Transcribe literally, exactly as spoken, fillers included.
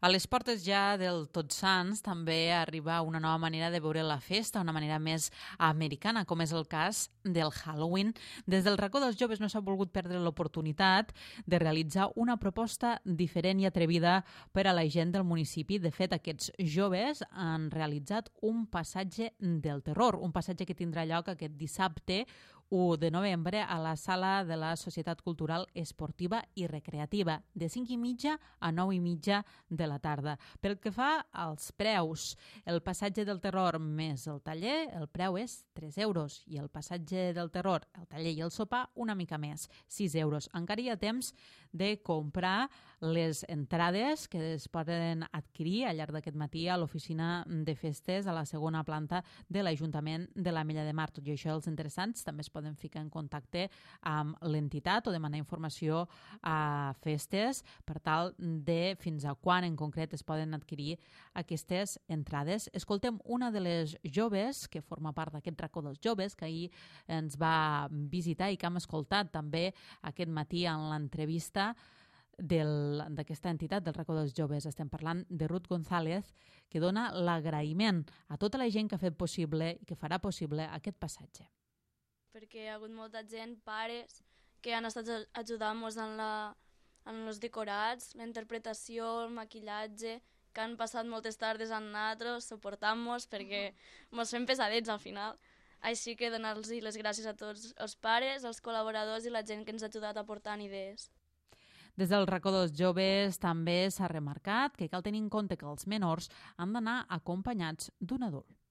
A les portes ja del Tots Sants també arriba una nova manera de veure la festa, una manera més americana, com és el cas del Halloween. Des del racó dels joves no s'ha volgut perdre l'oportunitat de realitzar una proposta diferent i atrevida per a la gent del municipi. De fet, aquests joves han realitzat un passatge del terror, un passatge que tindrà lloc aquest dissabte u de novembre a la sala de la Societat Cultural Esportiva i Recreativa, de cinc i mitja a nou i mitja de la tarda. Pel que fa als preus, el passatge del terror més el taller, el preu és tres euros, i el passatge del terror, el taller i el sopar, una mica més, sis euros. Encara hi ha temps de comprar les entrades que es poden adquirir al llarg d'aquest matí a l'oficina de festes a la segona planta de l'Ajuntament de l'Ametlla de Mar. Tot i això, els interessants també es poden ficar en contacte amb l'entitat o demanar informació a festes per tal de fins a quan en concret es poden adquirir aquestes entrades. Escoltem una de les joves que forma part d'aquest racó dels joves que ahir ens va visitar i que hem escoltat també aquest matí en l'entrevista d'aquesta entitat del racó dels joves. Estem parlant de Ruth González, que dona l'agraïment a tota la gent que ha fet possible i que farà possible aquest passatge. Perquè hi ha hagut molta gent, pares, que han estat ajudant-nos en, la, en els decorats, la interpretació, el maquillatge, que han passat moltes tardes amb nosaltres, suportant-nos, perquè ens fem pesadets al final. Així que donar-los les gràcies a tots els pares, els col·laboradors i la gent que ens ha ajudat aportant idees. Des del racó dels joves també s'ha remarcat que cal tenir en compte que els menors han d'anar acompanyats d'un adult.